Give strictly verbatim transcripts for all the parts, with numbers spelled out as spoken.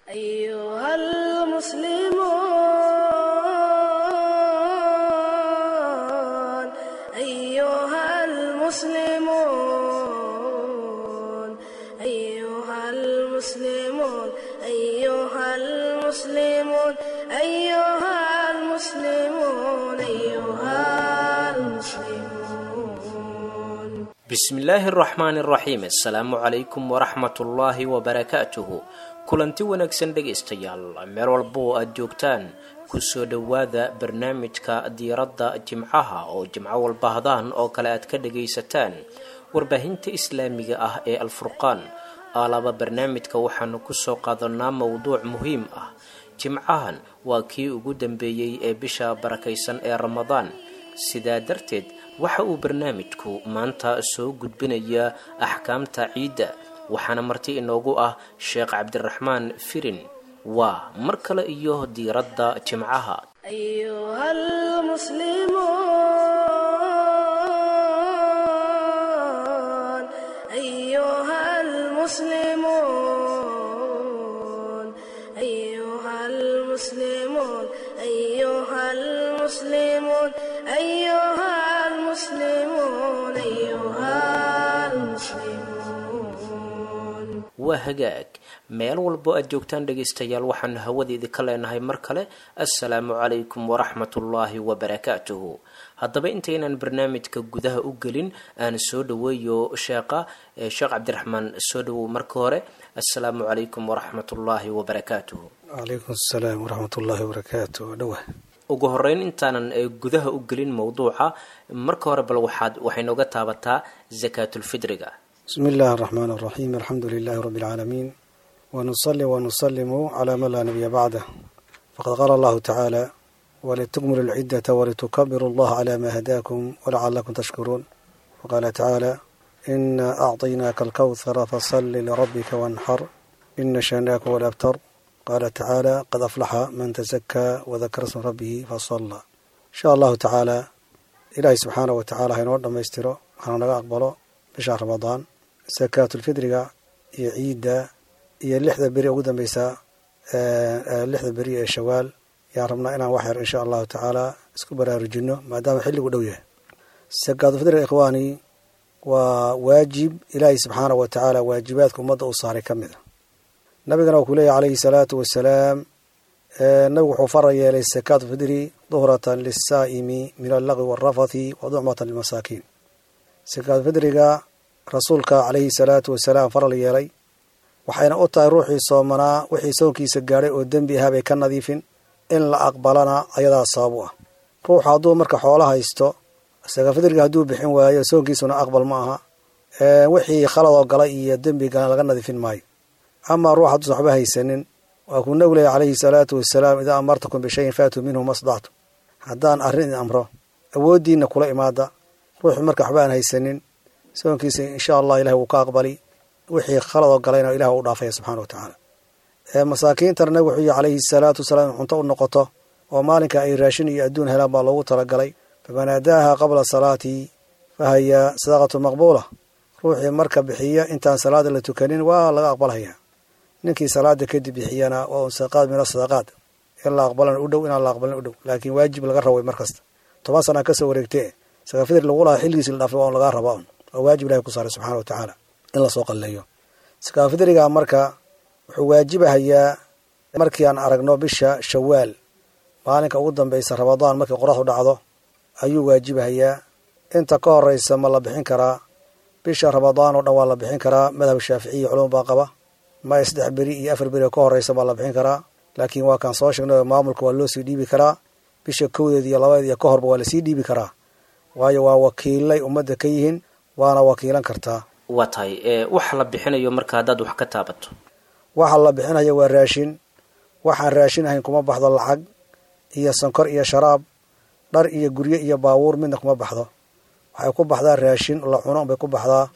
أيها المسلمون أيها المسلمون أيها المسلمون أيها المسلمون أيها المسلمون أيها المسلمون. Bismillaahi araxmaani araxiim. Assalaamu calaykum waraxmatullaahi wabarakaatuhu. Kulanti wanaagsan dhegaystayaal, meel walba oo aada joogtaan, kusoo dhowaada barnaamijka diiradda jimcaha oo jimco walba hadaan oo kale aad ka dhagaysataan warbaahinta islaamiga ah ee Alfurqaan. Aalaba barnaamijka waxaanu kusoo qaadanaa mowduuc muhiim ah. Jimcahan waa kii ugu dambeeyey ee bisha barakaysan ee Ramadaan, sidaa darteed waxa uu barnaamijku maanta soo gudbinayaa axkaamta ciidda, waxaana marti inoogu ah Sheekh Cabdiraxmaan Firin. Waa mar kale iyo diiradda jimcaha. أيها المسلمون أيها المسلمون أيها المسلمون أيها المسلمون أيها المسلمون أيها المسلمون. Waa hagaag, meel walbo aad joogtaan dhegaystayaal, waxaanu hawada idinka leenahay mar kale assalaamu calaykum waraxmatullaahi wabarakaatuhu. Haddaba intaynan barnaamijka gudaha u gelin, aan soo dhaweeyo sheekha. Sheekh Cabdiraxmaan, soo dhawow marka hore. Assalaamu calaykum waraxmatullaahi wabarakaatuhu. Calaykum asalaam waraxmatullaahi wabarakaatu. Dhawa. Ugu horeyn, intaanan eh, gudaha u gelin mowduuca, marka hore bal waxaad waxay nooga taabataa sakaatulfidriga. Bismi illaahi araxmaan araxiim. Alxamdu lilaahi rabbi alcaalamiin, wanusali wanusalimu calaa man laa nabiya bacdah. Faqad qaala allahu tacaala: walitukmilu alciddata walitukabiru allaha calaa maa hadaakum walacalakum tashkuruun. Waqaala tacaala: inaa acطaynaaka alkawthara fasali lirabbika wanxar ina shaanaaka huwa alabtar. Qaala tacaala: qad aflaxa man tasakaa wadakara sma rabbihi fasalla. Insha allahu tacaala, ilaahay subxaanah wa tacala ha inoo dhammaystiro, hana naga aqbalo bisha Ramadaan. Sakaatulfidriga iyo ciidda iyo lixda beri ugu dambeysa, lixda beri ee Shawaal, yaan rabnaa inaan wax yar insha allahu tacaala isku baraarujino, maadaama xilligu dhow yahay. Sakaatulfidriga, ikhwaani, waa waajib ilaahay subxaanah wa tacaala waajibaadka ummadda uu saaray ka mid a. Nabigana uu ku leeyahy calayhi salaatu wasalaam, nabigu wuxuu fara yeelay sakaatulfidri duhratan lisaa'imi min allaqwi waalrafathi wa ducmatan lilmasaakiin. Sakaatulfidriga rasuulka calayhi salaatu wasalaam faral yeelay, waxayna u tahay ruuxii soomanaa wixii soonkiisa gaadhay oo dembi ahaa bay ka nadiifin, in la aqbalana ayadaa sabab u ah. Ruuxu hadduu marka xoolo haysto, sakaatulfidriga hadduu bixin waayo, soonkiisuna aqbal ma aha, wixii khaladoo galay iyo dembigana laga nadiifin maayo. Amaa ruux hadduusan waxba haysanin, waa kuu nabigu leeyahy calayhi salaatu wasalaam: idaa amartakum bishayin faatuu minhu masdactu. Haddaan arrin idin amro, awooddiinna kula imaada. Ruuxu marka waxba aan haysanin, soonkiisa insha allah ilahi wuu ka aqbali, wixii khaladoo galayna ilah u dhaafaya subxana wa tacaala. Masaakiintana nabigu wuxuu yihi calayhi salaatu wasalaam in cunto u noqoto oo maalinka ay raashin iyo adduun helaan baa loogu talagalay. Faman aadaaha qabla salaati fahaya sadaqatu maqbuula. Ruuxii marka bixiya intaan salaada la tukanin waa laga aqbalhayaa. Ninkii salaada kadib bixiyana waa un sadaqaad min asadaqaad, in la aqbalana u dhow, inaan la aqbalin u dhow, laakiin waajib laga rabay mar kasta. Toban sana kasoo wareegtee sakaafidri lagu lahaa xilligiisi la dhaafay waa un lagaa rabaa un oo waajib ilahay ku saaray subxana wa tacaala in lasoo qalleeyo. Sakaafidriga marka wuxuu waajibahayaa markii aan aragno bisha Shawaal, maalinka ugu dambeysa Ramadaan, markii qoraxdu dhacdo ayuu waajibahayaa. Inta ka horeysa ma la bixin karaa? Bisha Ramadaan oo dhan waa la bixin karaa. Madhab Shaaficiya culum baa qaba ma saddex beri iyo afar beri oo ka horeysa baa la bixin karaa, laakiin waa kaan soo sheegnay, maamulka waa loo sii dhiibi karaa. Bisha kowdeed iyo labadeed iyo ka horba waa lasii dhiibi karaa, waayo waa wakiilay ummadda ka yihiin, waana wakiilan kartaa. Waa tahay, waxa la bixinayo marka haddaad wax ka taabato. Waxa la bixinaya waa raashin. Waxaan raashin ahayn kuma baxdo lacag iyo sonkor iyo sharaab, dhar iyo guryo iyo baabuur midna kuma baxdo. Waxay ku baxdaa raashin la cuno bay ku baxdaa,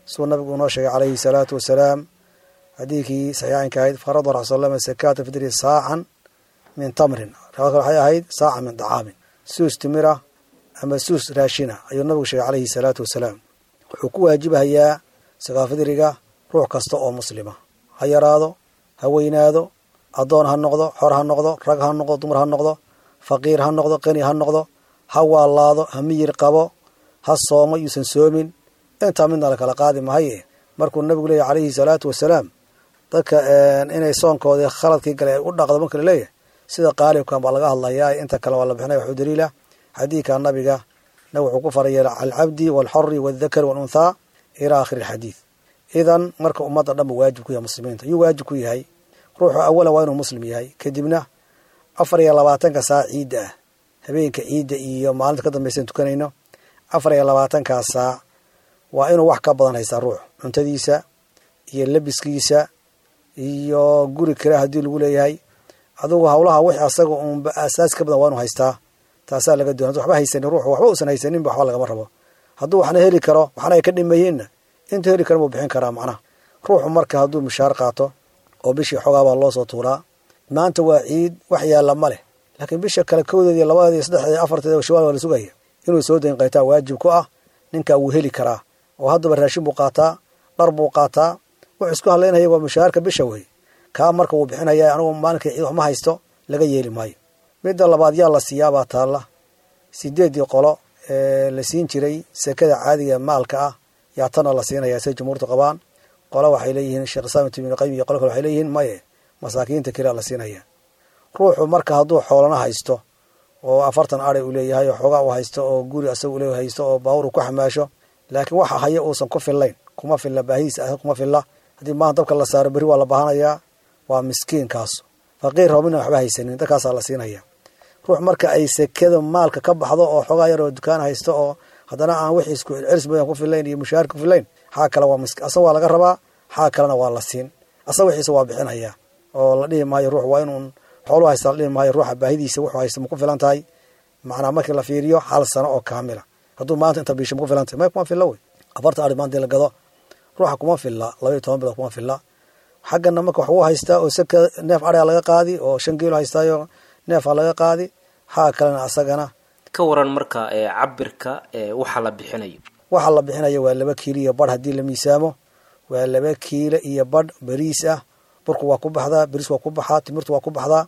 siduu nabigu inoo sheegay calayhi salaatu wasalaam xadiidkii saxiixaynka ahayd: farada rasul slam sakaata fidri saacan min tamrin. Riwaayad kale waxay ahayd saaca min dacaamin, suus timira ama suus raashina ayuu nabigu sheegay calayhi salaatu wasalaam. Wuxuu ku waajibahayaa sakaafidriga ruux kasta oo muslima, ha yaraado ha weynaado, Addoon ha noqdo, xor ha noqdo, rag ha noqdo, dumar ha noqdo, faqiir ha noqdo, qani ha noqdo, ha waalaado, ha miyir qabo, ha soomo yuusan soomin, intaa midna la kala qaadi mahaye. Markuu nabigu leeyahy calayhi salaatu wasalaam dadka inay soonkoodii khaladkii galay ay u dhaqdo, marka laleeyahay sida qaalibkan baa laga hadlayaa, inta kale waa la bixinaya. Waxuu daliila xadiidka nabiga, nabig wuxuu ku farayay alcabdi waalxori waaldakari waalunthaa ilaa aakhiri alxadiid. Idan marka ummadda dhan buu waajib ku yahay muslimiinta. Yuu waajib ku yahay ruuxu? Awalan waa inuu muslim yahay, kadibna afar iyo labaatanka saac ciidda ah, habeenka ciidda iyo maalinta ka dambaysan tukanayno, afar iyo labaatankaa saac waa inuu wax ka badan haystaa ruux, cuntadiisa iyo labiskiisa iyo guri kale haddii lagu leeyahay, adugu hawlaha wix asaga uunba asaas ka badan waa inuu haystaa. Taasaa laga doonay. Haduu waxba haysanin ruuxu, waxba uusan haysaninba, waxba lagama rabo. Hadduu waxna heli karo waxna ay ka dhimayiinna, intuu heli karo buu bixin karaa. Macnaha ruuxu marka hadduu mushaar qaato oo bishii xoogaa baa loo soo tuuraa, maanta waa ciid, wax yaalla ma leh, laakiin bisha kale kowdeed iyo labadeed iyo saddexdeed iyo afarteed shawaal waa la sugaya, inuu soo dayn qaytaa waajib ku ah. Ninkaa wuu heli karaa oo haddaba raashin buu qaataa, dhar buu qaataa, wuxuu isku hadlaynaya waa mushaharka bisha wey. Kaa marka wuu bixinaya, anugu maalinka ciid wax ma haysto laga yeeli maayo. Midda labaad, yaa la siiyaabaa taalla? Sideeddii qolo ee la siin jiray sekada caadiga maalka ah yaa tana la siinaya, say jumhuurtu qabaan. Qolo waxay leeyihiin Sheekh Islaam ibnu Qayyim iyo qolo kale waxay leeyihiin maye, masaakiinta keliya la siinaya. Ruuxu marka hadduu xoolana haysto oo afartan ari uu leeyahay oo xoogaa uu haysto oo guri asaga uu leeyahay haysto oo baawur uu ku xamaasho, laakiin waxa haya uusan ku fillayn, kuma filla baahidiisa, kuma filla, haddii maanta dabka la saaro berri waa la baahanayaa, waa miskiinkaas faqiir roobina waxba haysanin, dadkaasaa la siinaya. Ruux marka ay sekada maalka ka baxdo oo xoogaa yar oo dukaan haysto oo haddana aan wixii isku celcelis badan ku fillayn iyo mushaar ku fillayn, xaa kale waa misk, asaga waa laga rabaa, xaa kalena waa la siin, asaga wixiisa waa bixinaya oo la dhihi maayo ruux waa inuun xooluhu haysta, la dhihi maayo. Ruuxa baahidiisa wuxuu haysta ma ku filan tahay? Macnaa markii la fiiriyo hal sano oo kaamila, hadduu maanta inta biisho ma ku filan tahay? May, kuma filla wey. Afartan ari maanta la gado ruuxa kuma filla, laba iyo toban bilood kuma filla. Xaggana marka wax wuu haystaa oo seka neef ariga laga qaadi oo shan geelo haystaayo neefa laga qaadi, xaa kalena asagana. Ka waran marka ee cabirka ee waxa la bixinayo? Waxa la bixinayo waa laba kiilo iyo badh haddii la miisaamo, waa laba kiilo iyo badh bariis ah. Burku waa ku baxdaa, bariis waa ku baxaa, timirtu waa ku baxdaa.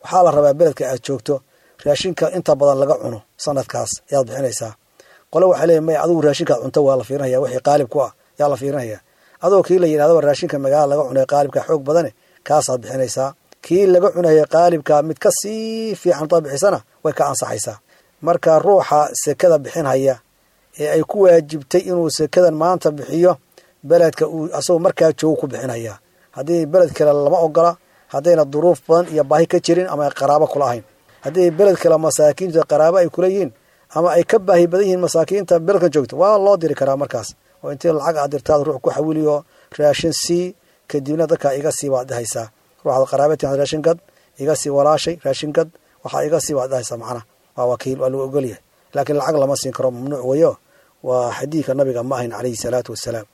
Waxaa la rabaa beledka aad joogto raashinka inta badan laga cuno sanadkaas ayaad bixinaysaa. Qole waxay leeyihin maya, adigu raashinkaad cunto waa la fiirinaya, wixii qaalib ku ah yaa la fiirinaya. Adoo kii la yidhahdaba raashinka magaalada laga cunay qaalibka xoog badane kaasaad bixinaysaa. Kii laga cunaya qaalibka mid ka sii fiican hadaad bixisana way ka ansaxaysaa. Marka ruuxa sekada bixinhaya ee ay ku waajibtay inuu sekadan maanta bixiyo, beledka uu asagoo markaa joogo ku bixinaya. Haddii beled kale lama ogola, haddayna duruuf badan iyo baahi ka jirin ama ay qaraabo kula ahayn. Haddii beled kale masaakiinta qaraabo ay kula yihiin ama ay ka baahi badan yihiin masaakiinta beledkan joogto, waa loo diri karaa markaas oo intii lacag aad dirtaad ruux ku xawiliyo raashin sii, kadibna dadkaa iga sii baad dhahaysaa. Ruuxaad qaraabatiin raashin gad iga sii, walaashay raashin gad waxaa iga sii baad dhahaysaa. Macnaha waa wakiil, waa lagu ogolyahay, laakiin lacag lama siin karo, mamnuuc weyo, waa xadiidka nabiga ma ahayn calayhi salaatu wasalaam.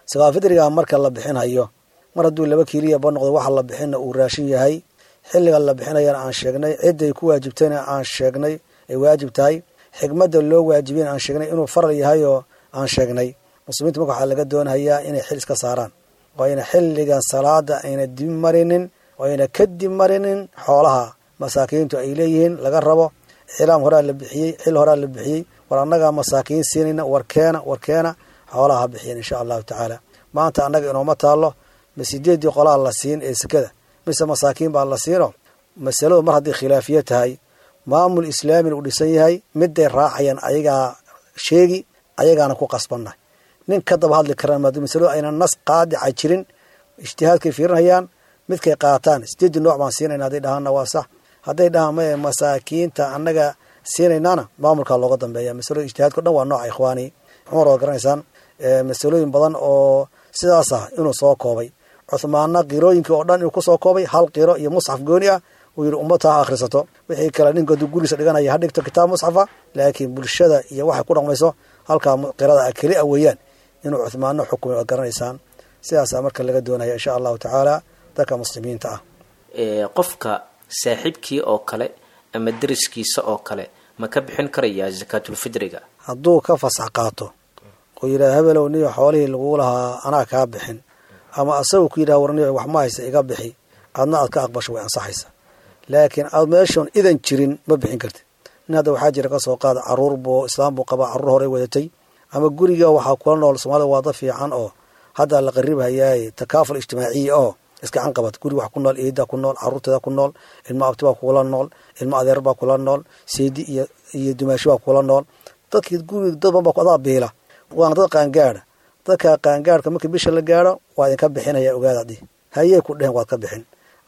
Sakaafidriga marka la bixinhayo, mar hadduu laba kiiliya ba noqdo, waxa la bixinna uu raashin yahay, xilliga la bixinayana aan sheegnay, cidday ku waajibtayna aan sheegnay ay waajib tahay, xikmadda loo waajibiyana aan sheegnay inuu faral yahay oo aan sheegnay, muslimiinta marka waxaa laga doonayaa inay xil iska saaraan oo ayna xilligan salaada ayna dib marinin oo ayna ka dib marinin xoolaha masaakiintu ay leeyihiin laga rabo. Iclaam horaa la bixiyey, xil horaa la bixiyey, war annagaa masaakiin siinayna, warkeena warkeena xoolaha ha bixiyeen insha allahu tacaala. Maanta annaga inooma taallo ma sideeddii qolaa la siin ee sekada mise masaakiin baa la siino. Masaladu mar haddii khilaafiye tahay, maamul islaamina uu dhisan yahay, miday raacayaan ayagaa sheegi, ayagaana ku qasbannahay, nin ka daba hadli karaan maaduu masaladu ayna nas qaadica jirin, ijtihaadkay fiirinayaan midkay qaataan. Sideeddii nooc baan siinayna hadday dhahaanna waa sax, hadday dhahaan maye masaakiinta annaga siinaynaana maamulkaa looga dambeeya. Masalada ijtihaadka o dhan waa nooca ikhwaani. Cumar waad garanaysaan masalooyin badan oo sidaas ah inuu soo koobay, Cuhmaanna qirooyinkii oo dhan inuu kusoo koobay hal qiro iyo musxaf gooni ah, uu yidhi ummata ha akhrisato, wixii kale ninka hadduu gurigiisa dhiganaya ha dhigto kitaab musxafa, laakiin bulshada iyo waxay ku dhaqmayso halkaa qirada ah keli a weeyaan inuu Cuhmaanna xukumay waad garanaysaan. Sidaasaa marka laga doonaya insha allahu tacaala dadka muslimiinta ah. Qofka saaxiibkii oo kale ama deriskiisa oo kale ma ka bixin karayaa sakaatulfidriga? Hadduu ka fasax qaato oo yidhaha hebelow niyo xoolihii laguu lahaa anaa kaa bixin, ama asagu ku yidhaha war niyo wax ma haysta iga bixi, Adna aad ka aqbasho, way ansaxaysaa. Laakiin aad meeshoon idan jirin ma bixin kartid. Nin hadda waxaa jira, kasoo qaada, caruur buu, islaam buu qabaa, caruur horey wadatay ama guriga waxaa kula nool. Soomaalida waa dad fiican oo hadda la qaribhayaaye, takaaful ijtimaaciya oo iskacan qabat. Guriga wax ku nool, eeda ku nool, caruurteeda ku nool, ilmo abti baa kula nool, ilmo adeer baa kula nool, seedi iyo iyo dumaashi baa kula nool. Dadkii guriga dad badan baa adaa biila, waana dad qaangaada. Dadka qaangaadhka markii bisha la gaaro waa idinka bixinaya, ogaada dhih hayey ku dhehen, waad ka bixin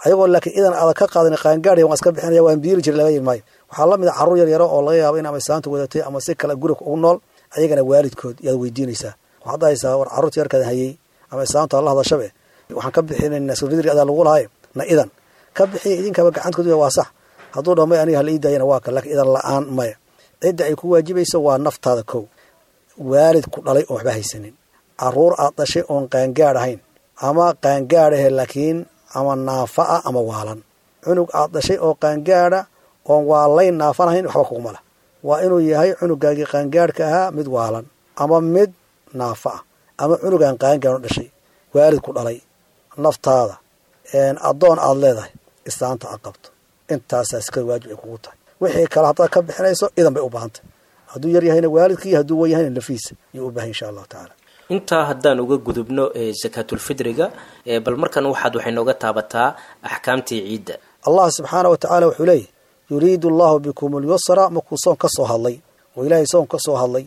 ayagoo, laakiin idan aada ka qaadan qaangaadh waan iska bixinaya, waan biili jiray laga yiri maayo. Waxaa la mid a carruur yar yaro oo laga yaabo in ama islaanta wadatay ama si kale guriga ugu nool, ayagana waalidkood yaad weydiinaysaa. Waxaad dhahaysaa, war carruurta yarkaad hayey ama islaanta la hadashabe, waxaan ka bixinaynaa sufidriga adaa lagu lahay, na idan ka bixiya, idinkaba gacantkood waa sax. Hadduu dhaho may, aniga hala ii daayana, waa kan, laakiin idan la-aan maya. Cidda ay ku waajibayso waa naftaada kow, waalid ku dhalay oon waxba haysanin, caruur aad dhashay oon qaangaadh ahayn ama qaangaadh ahe laakiin ama naafa ah ama waalan. Cunug aad dhashay oo qaangaadha oon waalayn naafan ahayn waxba kuguma lah. Waa inuu yahay cunugaagii qaangaadhka ahaa mid waalan ama mid naafa ah ama cunugaan qaangaadh dhashay, waalid ku dhalay, naftaada, addoon aad leedahay, islaanta aad qabto. Intaasaa iska waajib ay kugu tahay. Wixii kale haddaad ka bixinayso idan bay u baahantay. Hadduu yar yahayna waalidkii, hadduu wen yahayna lafiisa ayuu u bahay, insha allahu tacaala. Intaa haddaan uga gudubno sakaatulfidriga, bal markan waxaad waxay nooga taabataa axkaamtii ciidda. Allah subxaana wa tacaala wuxuu leeyahy, yuriidu allahu bikum alyusra. Markuu soon ka soo hadlay oo ilaahay soon ka soo hadlay,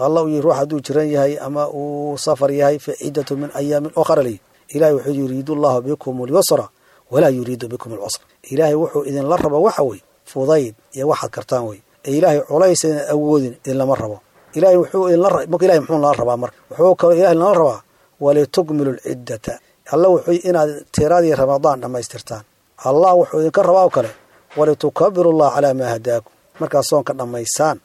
alla uu yihi ruux hadduu jiran yahay ama uu safar yahay fa ciddatu min ayaamin ukhra ley. Ilahay wuxuu yuriidu allahu bikum alyusra walaa yuriidu bikum alcusra. Ilaahay wuxuu idinla raba waxa wey fudayd iyo waxaad kartaan wey, ee ilaahay culays idin awoodin idinlama rabo. Ilahay wuxuu idinla, marka ilahay muxuu nala rabaa? Marka wuxuu kaloo ilahay nala rabaa walitukmilu lciddata. Alla wuxuu inaad tiradii Ramadaan dhammaystirtaan. Allah wuxuu idinka rabaa oo kale walitukabiru llah calaa maa hadaakum. Markaad soonka dhammaysaan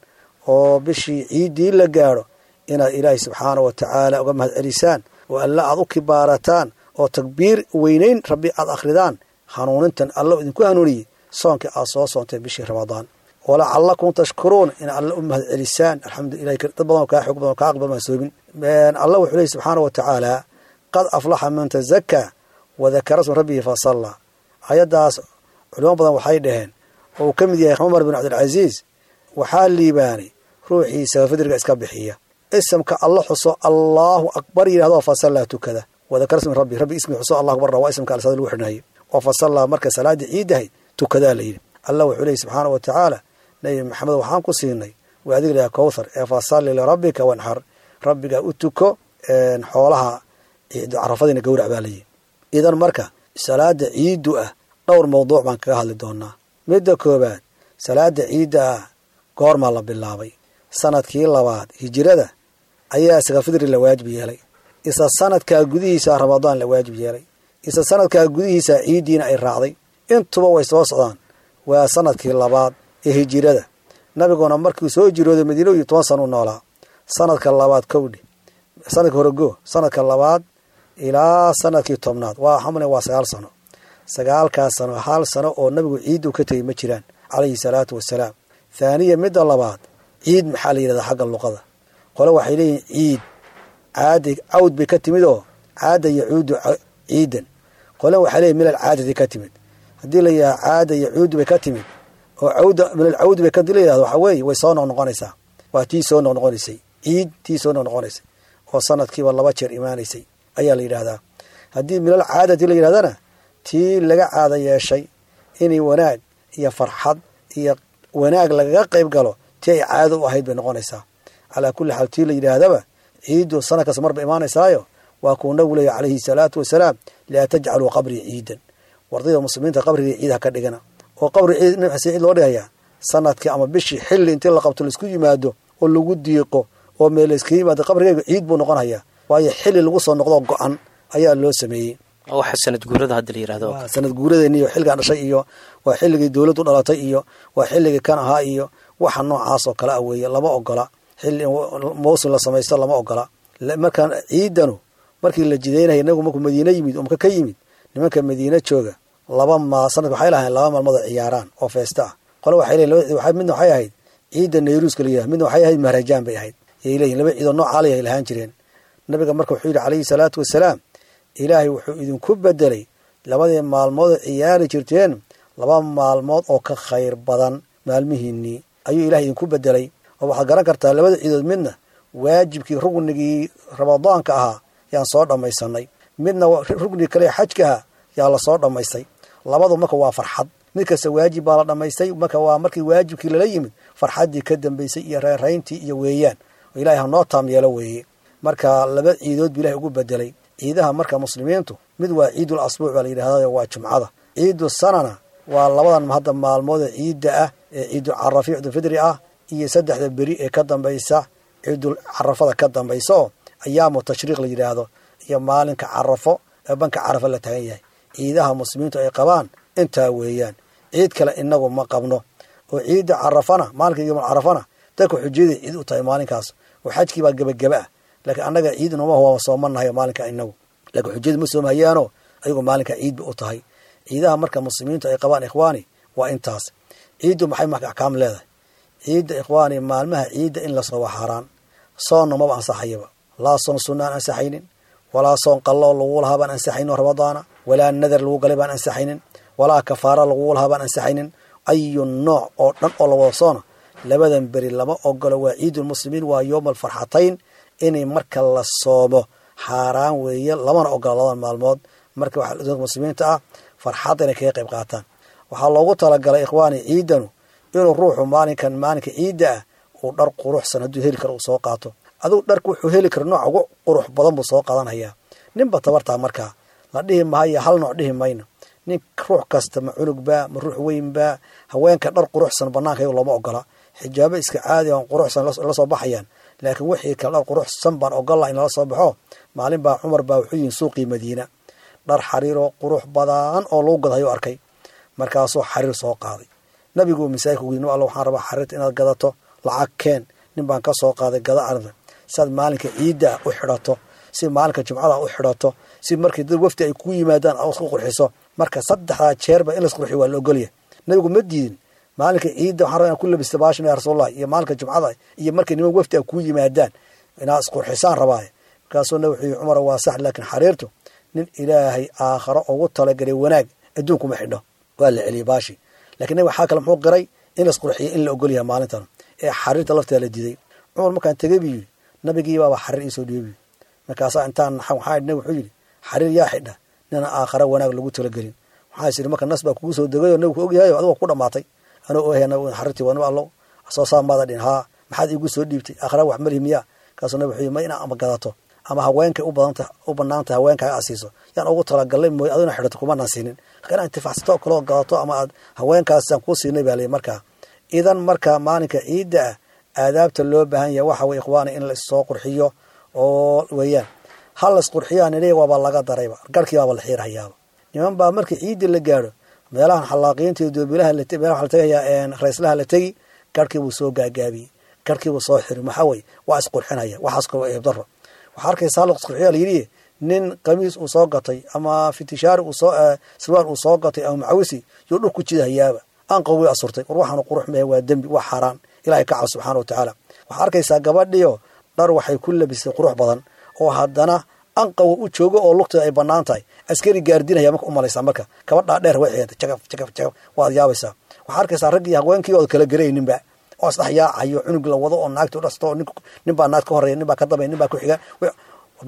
oo bishii ciiddii la gaadho, inaad ilaahay subxaana wa tacaala uga mahad celisaan oo alla aad u kibaarataan oo takbiir weynayn rabbi aad akhridaan hanuunintan alla idinku hanuuniyey soonkii aad soo soonteen bishii Ramadaan. Walacalakum tashkuruun, in alle u mahad celisaan. Alxamdulilah, dad badan oo kaa xoog badan oo kaa aqbal maan soomin. Alla wuxuu leeyay subxaana wa tacaala, qad aflaxa man tazakaa wadakara sma rabbihi fasallaa. Ayaddaas culimo badan waxay dhaheen, oo uu ka mid yahay Cumar bin Cabdilcasiis, waxaa liibaanay ruuxii sakafidriga iska bixiya, isamka alla xuso, Allahu akbar yidhahdo, fasallaa tukada, wadakara sma rabbi, rabbi ismi xuso, Allah akbar waa isamka alsaada lagu xidhnaayay, oo fasallaa marka salaadii ciidahay tukadaa la yidhi. Allah wuxuu leeyay subxaana wa tacaala, Nabi Maxamed waxaan ku siinay waa adig lahaa Kowthar, ee fasalli lirabbika wanxar, rabbigaa u tuko, xoolaha Carafadiina gowrac baa layihi. Idan marka salaada ciiddu ah dhowr mawduuc baan kaga hadli doonaa. Midda koobaad, salaada ciidda ah goormaa la bilaabay? Sanadkii labaad hijirada ayaa sakafidri la waajib yeelay. Isla sanadkaa gudihiisa Ramadaan la waajib yeelay. Isla sanadkaa gudihiisa ciiddiina ay raacday. Intuba way soo socdaan. Waa sanadkii labaad ee hijirada. Nabiguna markuu soo jirooday Madiino iyo toban sana u noolaa. Sanadka labaad kowdhi, sanadka horego, sanadka labaad ilaa sanadkii tobnaad waa xamle, waa sagaal sano. Sagaalkaas sano hal sano oo nabigu ciiddu ka tegey ma jiraan, calayhi salaatu wasalaam. Thaaniya, midda labaad, ciid maxaa la yidhahdaa xagga luqada? Qole waxay leeyihin ciid caadi cawd bay ka timid oo caada yacuudu ciidan. Qole waxay leeyihin milal caadadi ka timid. Haddii la yidhaha caada yacuudu bay ka timid oo cawda milal cawd bay ka la yidhahdo, waxaa weeye way soo noqnoqonaysaa, waa tii soo noqnoqonaysay, ciid tii soo noqnoqonaysay oo sanadkiiba laba jeer imaanaysay ayaa la yidhaahdaa. Haddii milal caadati la yidhahdana, tii laga caada yeeshay inay wanaag iyo farxad iyo wanaag lagaga qayb galo, tii ay caado u ahayd bay noqonaysaa. Calaa kulli xaal, tii la yidhaahdaba ciiddu sanad kasta marba imaanaysaayo, waa kuu nabigu leeya calayhi salaatu wasalaam, laa tajcaluu qabrii ciidan. Wardayda muslimiinta, qabrigii ciid ha ka dhigana. Oo qabri ciid nabi xasan ciid loo dhigayaa sanadkii ama bishii xilli intii la qabto laisku yimaado oo lagu diiqo oo meel layskaga yimaado, qabrigayga ciid buu noqonayaa, waayo xilli lagu soo noqdo go-an ayaa loo sameeyey. Waxa sanad guurada hadda la yirahdo. Waa sanad guuradeeni iyo xilligaan dhashay iyo waa xilligii dowladdu dhalatay iyo waa xilligii kan ahaa iyo waxa noocaas oo kale ah weeye. Lama ogola xilli mawsim la samaysto, lama ogola. Markaan ciidanu markii la jidaynaya, nabigu markuu Madiine yimid oo Maka ka yimid, nimanka Madiine jooga laba ma sanadka waxay lahayn laba maalmood oo ciyaaraan oo feesta ah. Qole waxay leeyihin laba, midna waxay ahayd ciidda Nayruuska la yidhahdo, midna waxay ahayd Mahrajaan bay ahayd, yay leeyihin. Laba ciidoo noocaa lay lahaan jireen. Nabiga marka wuxuu yidhi calayhi salaatu wasalaam, ilaahay wuxuu idinku bedelay Labadii maalmood oo ciyaari jirteen laba maalmood oo ka khayr badan maalmihiinnii ayuu ilahay idinku bedelay. Oo waxaad garan kartaa labada ciidood midna waajibkii rugnigii ramadaanka ahaa yaan soo dhammaysanay, midna rugnigii kale xajka ahaa yaa lasoo dhammaystay. Labadu marka waa farxad, mid kasta waajib baa la dhammaystay. Marka waa markii waajibkii lala yimid farxaddii ka dambaysay iyo reerayntii iyo weeyaan oo ilahay hanoo taam yeelo weeye. Marka laba ciidood buu ilahay ugu bedelay ciidaha. Marka muslimiintu mid waa ciidul asbuuc baa la yidhahda, waa jumcada. Ciidu sanana waa labadan hadda maalmood ee ciidda ah ee ciidul carafi ciidulfidri ah iyo saddexda beri ee ka dambaysa ciidul carafada ka dambaysa oo ayaamu tashriiq la yidhaahdo, iyo maalinka carafo ee banka carafo la tagan yahay. Ciidaha muslimiintu ay qabaan intaa weeyaan, ciid kale inagu ma qabno. Oo ciidda carafana maalinka yomul carafana dadka xujiyada ciid u tahay maalinkaas, oo xajkii baa gebageba ah. Laakiin annaga ciid nooma waaba soomanahay maalinka inagu, laakiin xujiyadu ma soomhayaano, ayagu maalinka ciid ba u tahay. Ciidaha marka muslimiintu ay qabaan ikhwaani waa intaas. Ciiddu maxay marka axkaam leedahay? Ciidda ikhwaani, maalmaha ciidda in la sooba xaaraan, soonna maba ansaxayaba. Laa soon sunna aan ansaxaynin, walaa soon qalloo lagu lahaa baan ansaxaynin oo ramadaana, walaa nadar lagu galay baan ansaxaynin, walaa kafaara lagu lahaa baan ansaxaynin. Ayu nooc oo dhan oo la wada soona labadan beri lama ogolo. Waa ciidulmuslimiin, waa yowma alfarxatayn, inay marka la soomo xaaraan weeye, lamana ogola labadan maalmood. Marka waxaa dadka muslimiinta ah farxadda inay kaga qayb qaataan. Waxaa loogu talagalay ikhwaani ciidanu inuu ruuxu maalinkan maalinka ciidda ah uu dhar quruxsan hadduu heli karo uu soo qaato. Adigu dharku wuxuu heli karo nooc ugu qurux badan buu soo qaadanhayaa. Ninba tabartaa markaa la dhihi mahayo, hal nooc dhihi mayno. Nin ruux kasta, ma cunugba ma ruux weynba, haweenka dhar quruxsan banaanka iyagu looma ogola, xijaabo iska caadi on quruxsan la soo baxayaan. Laakiin wixii kale dhar quruxsan baan ogolla in lala soo baxo. Maalin baa Cumar baa wuxuu yihin suuqii Madiina, dhar xariiroo qurux badan oo lagu gadhayo arkay. Markaasuu xariir soo qaaday. Nabigu masaajidka ugu yidhi, alla waxaan rabaa xariirta inaad gadato, lacag keen, nin baan ka soo qaaday, gada arrinta si aad maalinka ciidda u xidhato, si maalinka jumcada u xidhato, si markii dad wafdi ay ku yimaadaan aad isku qurxiso. Marka saddexdaa jeerba in laisqurxiyo waa la ogolyahay. Nabigu ma diidin. Maalinka ciidda waxaan rabaa inaan ku labista baashan ya rasuulallah, iyo maalinka jumcada, iyo markii niman wafdi ay kuu yimaadaan inaad isqurxisaan rabaaye. Markaasuu nabi wuxuu yihi, Cumar waa sax, laakiin xariirtu nin ilaahay aakharo ugu talagalay wanaag adduunkuma xidho. Waa la celiyey baashi. Lakiin nabi waxaa kale muxuu qiray in laisqurxiyo in la ogolyahay maalintan ee xariirta lafteeda la diiday. Cumar markaan tegey buu yidhi, nabigii baaba xariir iisoo dhiibay buu yidhi. Markaasaa intaan naxan waxaa idhi, nabi wuxuu yidhi, xariir yaa xidha nina aakhara wanaag lagu talagelin. Waxaa is yidhi marka nas baa kugu soo degay oo nabigu ku ogyahay oo adigu ku dhamaatay. Anoo ogahay nabigu xariirtii waa nabi allow soo saa maada dhin, haa maxaad iigu soo dhiibtay, aakhara wax malihi miyaa? Kaasuu nabi wuxuu yidhi, ma inaa ama gadato ama haweenkay u badanta u banaantahay haweenkaaga aad siiso yaan ugu talagalnay mooye, aduna xidhato kumanaan siinin, lakin inaad intifacsato oo kaloo gadato ama aad haweenkaasaan kuu siinay baa layihi. Markaa idan marka maalinka ciidda ah aadaabta loo baahan yahay waxa weye ikhwaani in la issoo qurxiyo oo weeyaan. Ha la isqurxiyaan iliya waaba laga darayba, garhkii baaba la xiirhayaaba. Niman baa markii ciidda la gaadho meelahan xalaaqiinta iyo doobilaha la meelaha la tegayaa rayslaha la tegi, garhkii buu soo gaagaabiyey, garhkii buu soo xiri, maxaa weye waa isqurxinaya. Waxaas kaloo eeb daro. Waxaa arkaysa hal isqurxiyaa la yidhi, nin qamiis uu soo gatay ama fitishaari uu soo sarwaal uu soo gatay ama macawisi yuu dhul ku jidahayaaba, aan qawi asurtay. War waxaanu qurux mehe, waa dembi, waa xaaraan, ilaahay ka cab subxaana wa tacaala. Waxaa arkaysaa gabadhiyo dhar waxay ku labisay qurux badan oo haddana anqawa u joogo oo lugteeda ay bannaan tahay, askari gaardinaya marka u malaysaa. Marka gabadhaa dheer way xigantay jagaf jagaf jagaf, waad yaabaysaa. Waxaa arkaysaa raggii haweenkii ood kala garayninba oo isdhex yaacayo, cunug la wado oo naagta u dhasto, oo nin baa naag ka horreeya, nin baa ka dambeya, nin baa ku xiga.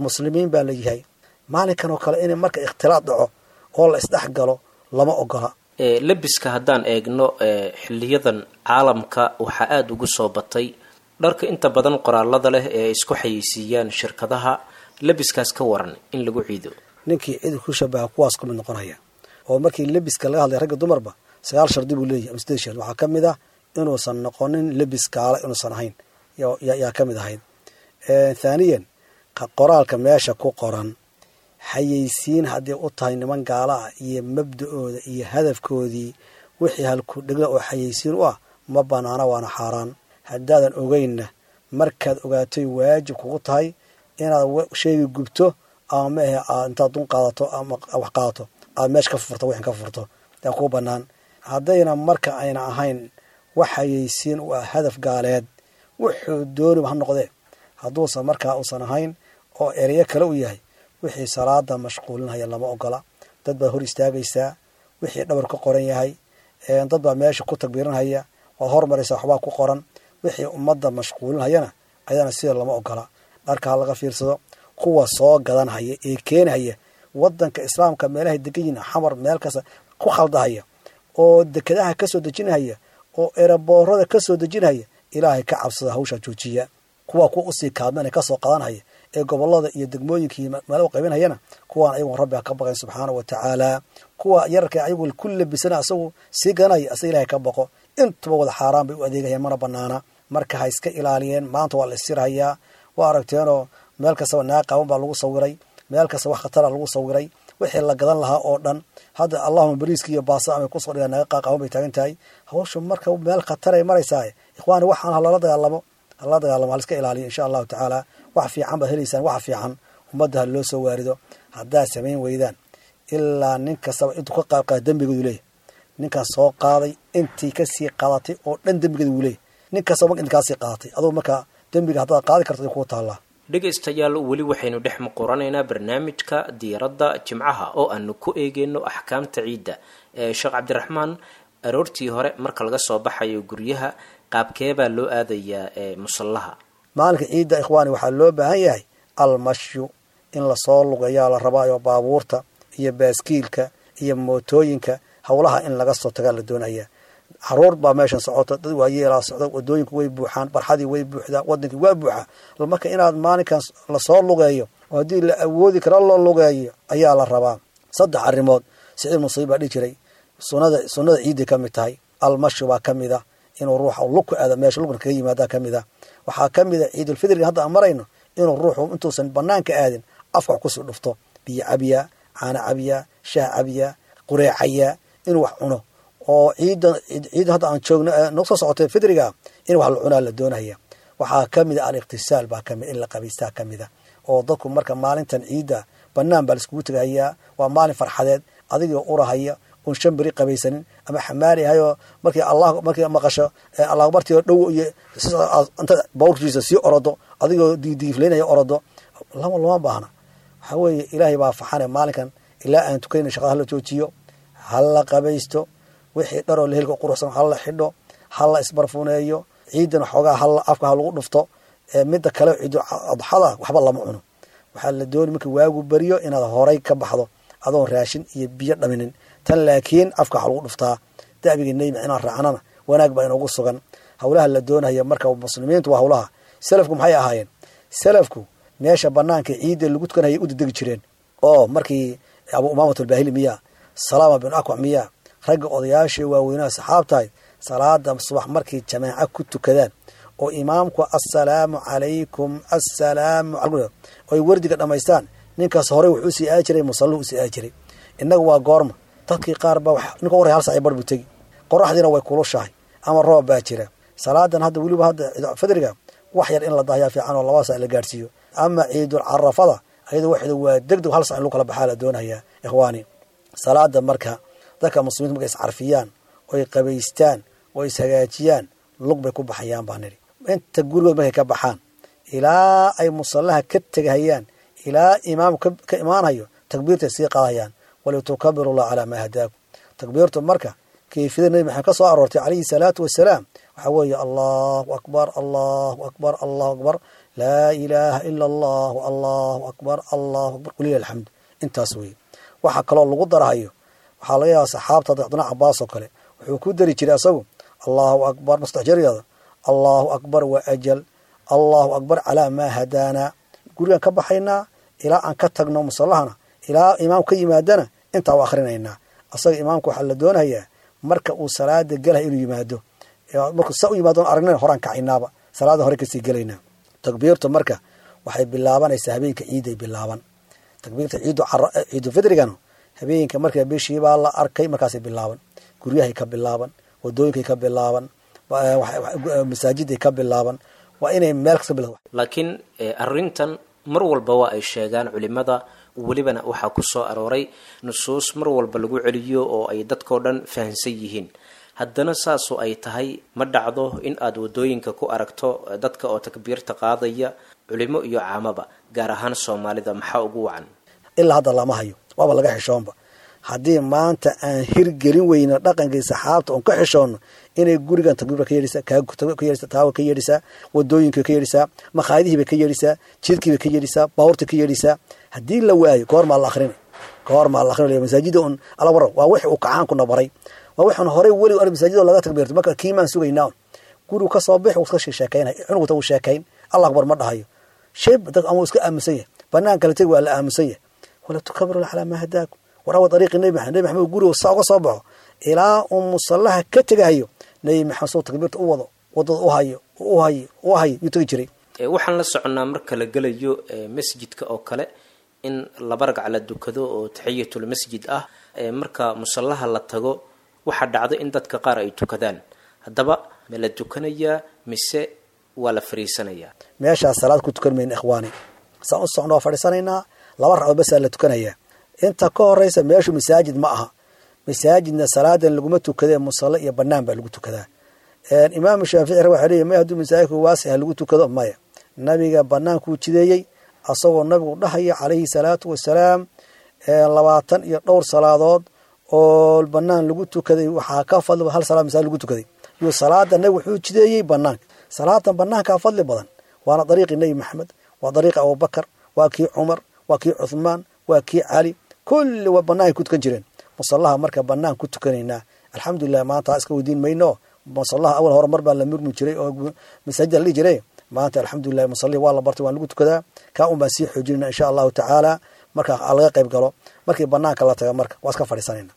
Muslimiin baa la yahay. Maalinkan oo kale in marka ikhtilaad dhaco oo la isdhex galo lama ogola. Labiska haddaan eegno xiliyadan caalamka waxaa aada ugu soo batay dharka inta badan qoraalada leh ee ay isku xayeysiiyaan shirkadaha. Labiskaas ka waran in lagu ciido? Ninkii cid ku shabaha kuwaas ku mid noqonaya. Oo markii lebiska laga hadlay ragga dumarba sagaal shardi buu leeyahay ama sideed shardi. Waxaa ka mid ah inuusan noqonin lebis gaala inuusan ahayn yaa ka mid ahayd. Thaaniyan, qoraalka meesha ku qoran xayeysiin haddii u tahay niman gaala ah iyo mabda-ooda iyo hadafkoodii wixii halku dhegla oo xayeysiin u ah ma banaana, waana xaaraan. Haddaadan ogeynna markaad ogaatay waajib kugu tahay inaad sheyga gubto ama maahe aad intaad dun qaadato ama wax qaadato aad meesha ka furto, wixin ka furto yaa kuu bannaan. Haddayna marka ayna ahayn wax xayeysiin u ah hadaf gaaleed, wuxuu dooniba ha noqdee, hadduusan markaa uusan ahayn oo ereyo kale u yahay, wixii salaada mashquulinhaya lama ogola, Dad baad hor istaagaysaa, wixii dhabar ka qoran yahay, dad baa meesha ku takbiiranhaya, waad hormaraysaa, waxbaa ku qoran. Wixii ummadda mashquulinhayana ayadana sida lama ogola. Dharka ha laga fiirsado. Kuwa soo gadanhaya ee keenhaya wadanka islaamka meelahay degan yihiin, Xamar meel kasta ku khaldahaya oo dekedaha ka soo dejinhaya oo eraboorada ka soo dejinhaya, ilaahay ka cabsada, hawshaa joojiya. Kuwa kuwa usii kaadmana kasoo qadanhaya ee gobolada iyo degmooyinkii meelo u qaybinhayana, kuwaan ayagu rabbi ha ka baqayn subxaana wa tacaala. Kuwa yararka ayagu ku labisana asagu sii gadanaya, asa ilahay ka baqo. Intuba wada xaaraan bay u adeegayaan, mana banaana. Marka ha iska ilaaliyeen. Maanta waa la isirhayaa, waa aragteenoo meel kastaba naag qaawan baa lagu sawiray, meel kasta wax khatara lagu sawiray, wixii la gadan lahaa oo dhan. Hadda allahuma bariiska iyo baasa amay kusoo dhigaan, naaga qaaqaawan bay taagan tahay hawshu. Marka meel khataray maraysaa, ikhwaani, waxaan halala dagaalamo, halala dagaalamo, haliska ilaaliyo insha allahu tacaala. Wax fiican baad helaysaan, wax fiican ummadda ha loo soo waarido. Haddaad samayn weydaan, ilaa nin kastaba intuu ka qaab qaada dembigeedu leeyahy. Ninkaan soo qaaday intii kasii qaadatay oo dhan dembigeeda wuu leeyahy. Nin kastaba marka inti kaasii qaadatay adugu marka dembiga haddaad qaadi karto ay kuu taallaa. Dhegaystayaal, weli waxaynu dhex muquranaynaa barnaamijka diiradda jimcaha oo aanu ku eegeyno axkaamta ciidda. Sheekh Cabdiraxmaan, aroortii hore marka laga soo baxayo guryaha, qaabkeebaa loo aadayaa musallaha maalinka ciidda? Ikhwaani, waxaa loo baahan yahay almashyu, in lasoo lugeeyaa la rabaayo. Baabuurta iyo baaskiilka iyo mootooyinka howlaha in laga soo tagaa la doonaya. Caruur baa meeshan socota, dad waayeelaa socda, wadooyinku way buuxaan, barxadii way buuxdaa, wadankii waa buuxaa. Marka inaad maalinkan lasoo lugeeyo oo haddii la awoodi karo loo lugeeyo ayaa la rabaa. Saddex arrimood Siciid Musayib baa dhihi jiray sunada sunnada ciidday ka mid tahay. Almashi baa ka mid a, inuu ruuxa lug ku aado meesha, lugna kaga yimaadaa ka mid a. Waxaa ka mid a ciidulfidriga hadda aan marayno, inuu ruuxu intuusan banaanka aadin afka wax kusii dhufto, biyo cabiyaa, caano cabiyaa, shaah cabiyaa, qureecayaa, inuu wax cuno. Oo ciidan ciidan hadda aan joogno noo soo socotay fidriga in wax la cunaa la doonaya. Waxaa ka mid a aliqtisaal baa kamid, in la qabaystaa ka mid a. Oo dadku marka maalintan ciidda banaan baa laiskugu tegahayaa, waa maalin farxadeed. Adigoo urahaya oon shan beri qabaysanin ama xamaali ahayoo, markii allah markii maqasho allah bartii oo dhow iyo inta bawrkiisa sii orodo, adigoo diidiifleynaya orodo, lama lama baahna. Waxaa weeye ilaahay baa faxane maalinkan ilaa aan tukanayna shaqada hala joojiyo, hala qabaysto, wixii dharoo la helka quruxsan hala xidho, hala isbarfuneeyo, ciidan xoogaa hala afka ha lagu dhufto. Midda kale, ciidu adxada waxba lama cuno. Waxaa la dooni marka waagu beriyo inaad horay ka baxdo adoon raashin iyo biyo dhaminin tan, laakiin afka waxa lagu dhuftaa. Da'biga nebi inaan raacnana wanaag baa inoogu sugan. Howlaha la doonaya marka muslimiintu waa howlaha. Salafku maxay ahaayeen? Salafku meesha banaanka ciidda lagu tukanayay u dedegi jireen. Oo markii Abu Umaamat Albaahili miyaa, Salaama bin Akwac miyaa, ragga odayaashii waaweynaha saxaabtahay, salaada subax markay jamaaco ku tukadaan oo imaamku assalaamu calaykum, assalaamu calaykum oy wardiga dhammaystaan, ninkaas horey wuxuu usii aadi jiray musalluhu usii aadi jiray. Innaga waa goorma? Dadkii qaar baa ninka warray hal sac bar buu tegi, qoraxdiina way kulushahay ama roob baa jira. Salaadan hadda weliba hadda fidriga wax yar in la dahyaa fiican oo laba sac la gaadhsiiyo. Ama ciidul carafada ayada waxda waa degdeg, hal sac in lagu kala baxaa la doonayaa, ikhwaani. Salaada marka dadka muslimiinta markay iscarfiyaan oy qabaystaan oo ishagaajiyaan, lug bay ku baxayaan baa nidhi. Inta gurigood markay ka baxaan ilaa ay musallaha ka tegahayaan, ilaa imaamku ka imaanhayo, takbiirtay sii qaadayaan, walitukabiru llah calaa maa hadaakum. Takbiirtu marka kayfiyada Nebi Maxamed ka soo aroortay calayhi salaatu wasalaam waxaa weeye: allahu akbar, allahu akbar, allahu akbar, laa ilaaha ila allah, allahu akbar, allahu akbar, walilah alxamd. Intaas weeye. Waxaa kaloo lagu darahayo, waxaa laga yaaba saxaabta Cabdullah Cabaas oo kale wuxuu ku dari jiray asagu allahu akbar mustaxjariyada, allahu akbar wa ajal, allahu akbar calaa maa hadaanaa. Gurigaan ka baxaynaa ilaa aan ka tagno musallahana, ilaa imaam ka yimaadana intaa u akhrinaynaa. Asaga imaamka waxaa la doonayaa marka uu salaada gelahay inuu yimaado. Markuu saa u yimaado aragnana horaan kacaynaaba, salaada hore kasii gelaynaa. Takbiirtu marka waxay bilaabanaysaa habeenka ciiday bilaaban. Takbiirta ciidu ciidu fidrigana habeenka marka bishiibaa la arkay markaasay bilaaban, guryahay ka bilaaban, wadooyinkay ka bilaaban, masaajiday ka bilaaban, waa inay meel kasta bilaaban. Laakiin arrintan mar walba waa ay sheegaan culimada, welibana waxaa ku soo arooray nusuus mar walba lagu celiyo oo ay dadkao dhan fahansan yihiin. Haddana saasoo ay tahay ma dhacdo in aad wadooyinka ku aragto dadka oo takbiirta qaadaya, culimo iyo caamaba, gaar ahaan Soomaalida. Maxaa ugu wacan? Ilaa hadda lama hayo, waaba laga xishoonba. Haddii maanta aan hirgelin weyno dhaqankii saxaabta oon ka xishoonno, inay gurigan takbiirba ka yeedhisaa, ka yeedhisaa, taawa ka yeedhisaa, wadooyinka ka yeedhisaa, makhaayadihiiba ka yeedhisaa, jidkiiba ka yeedhisaa, baabuurta ka yeedhisaa. Haddii la waayo goormaa la akhrinay, goormaa la akhrinay masaajida un ala waran. Waa wixii uu kacaankuna baray, waa waxaan horey weli ar masaajida laga takbiirto. Marka kiimaan sugaynaa gurigu ka soo bix, wuu iska sheekaynay, cunugta wuu sheekayn, Allah akbar ma dhahayo, shayb dad ama iska aamusan yahay, banaanka la tegi waa la aamusan yahay. Wala tukabiru calaa maa hadaakum. War awa dariiqi Nebi Maxamed. Nebi Maxamed gurigu saa uga soo baxo ilaa uu musallaha ka tegahayo, Nebi Maxamed soo takbiirta u wado, wadada u hayo, u hayo, u hayo yuu tegi jiray. Waxaan la soconnaa marka la gelayo masjidka oo kale in laba ragc la dukado oo taxiyatul masjid ah. Marka musallaha la tago waxaa dhacdo in dadka qaar ay tukadaan. Haddaba ma la tukanayaa mise waa la fariisanayaa? Meeshaas salaad ku tukan mayna ikhwaani, saan u socno waa fadhiisanaynaa, laba ragcood basaa la tukanayaa. Inta ka horeysa meeshu masaajid ma aha, masaajidna salaadan laguma tukadee, musalla iyo banaan baa lagu tukadaa. Imaamu Shaafici waxa leeyahy may hadduu masaajidku waasixa lagu tukado, maya, nabiga banaankuu jideeyey, asagoo nabigu dhahaya calayhi salaatu wasalaam labaatan iyo dhowr salaadood oo banaan lagu tukaday waxaa ka fadli hal salaad masaajid lagu tukaday. Yuu salaada nabigu wuxuu jideeyey banaanka, salaadan banaankaa fadli badan, waana dariiqii Nebi Maxamed, waa dariiqi Abubakar, waa kii Cumar, waa kii Cuthmaan, waa kii Cali, kulli waa banaanay ku tukan jireen. Musallaha marka banaan ku tukanaynaa, alxamdulilah maanta iska weydiin mayno. Musallaha awal hore mar baa la murmi jiray oo masaajida la dhihi jiray, maanta alxamdulilah musallihi waa la bartay, waan lagu tukadaa. Kaa un baan sii xoojinayna insha allahu tacaala. Marka laga qayb galo, markii banaanka la taga marka waa iska fadhiisanayna.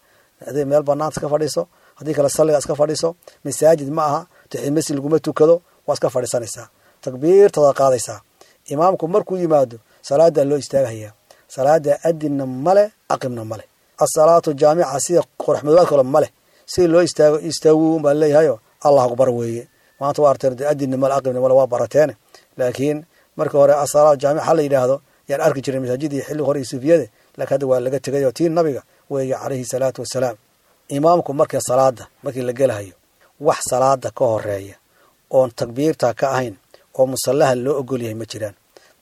Haddii meel banaanta iska fadhiiso, haddii kale salliga iska fadhiiso, masaajid ma aha, taxiya masjid laguma tukado, waa iska fadhiisanaysaa, takbiirtada qaadaysaa. Imaamku markuu yimaado salaadaa loo istaagahayaa, salaada adinna male, aqibna male, asalaatu jaamica sida qoraxmadoobaad kale male, sida loo istaago istaagu baa leeyahayo, Allah akbar weeye. Maanta waa arteen adinna male, aqibna male, waa barateene, laakiin marka hore asalaatu jaamica la yidhaahdo yaan arki jiray masaajidii xilli hore iyo suufiyada, laakiin hadda waa laga tegayo, tii nabiga weeye calayhi salaatu wasalaam. Imaamku marka salaada markii la gelahayo, wax salaada ka horeeya oon takbiirta ka ahayn oo musallaha loo ogol yahay ma jiraan.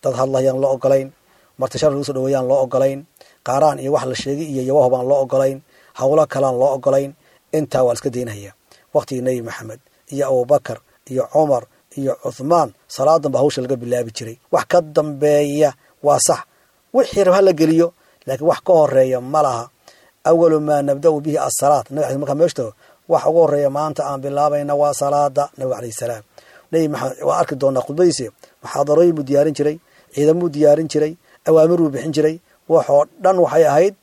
Dad hadlayaan loo ogolayn, marti sharaf lagu soo dhaweeyaan loo ogolayn, qaaraan iyo wax la sheegay iyo yawaho baan loo ogolayn, howlo kalaan loo ogolayn, intaa waa la iska daynaya. Waqtigii Nebi Maxamed iyo Abubakar iyo Cumar iyo Cuthmaan salaadan baa hawsha laga bilaabi jiray. Wax ka dambeeya waa sax, wixii rab ha la geliyo, laakiin wax ka horeeya ma laha. Awalu maa nabda'u bihi asalaat, nabi markaa meesha tago waxa ugu horeeya maanta aan bilaabayna waa salaada nabiga calayhi salaam. Nebi Maxamed waa arki doonaa khudbadiisa, muxaadarooyin buu diyaarin jiray, ciidamuu diyaarin jiray, awaamir buu bixin jiray, waxoo dhan waxay ahayd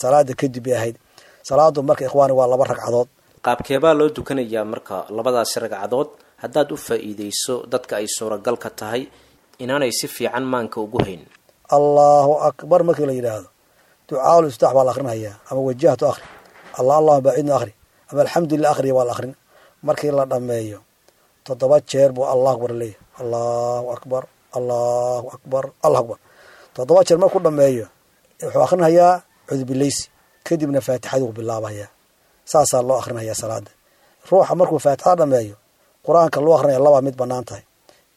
salaada kadib bay ahayd. Salaadu marka ikhwaani waa laba ragcadood. Qaabkeebaa loo tukanayaa marka labadaasi ragcadood haddaad u faa'iideyso dadka ay suuragalka tahay inaanay si fiican maanka ugu hayn? Allahu akbar markii la yidhaahdo, ducaaul iftaax baa la akhrinayaa, ama wajahtu akhri, allah allahuma baacidna akhri, ama alxamdulilah akhriya waa la akhrin. Markii la dhammeeyo toddoba jeer buu allah akbar leeyahay, allahu akbar, allahu akbar, allahu akbar. Toddoba jeer markuu dhammeeyo wuxuu akhrinayaa cudbileysi, kadibna faatixaduu bilaabayaa. Saasaa loo akhrinayaa salaada. Ruuxa markuu faatixada dhammeeyo qur-aanka loo akrinaya labaa mid bannaan tahay: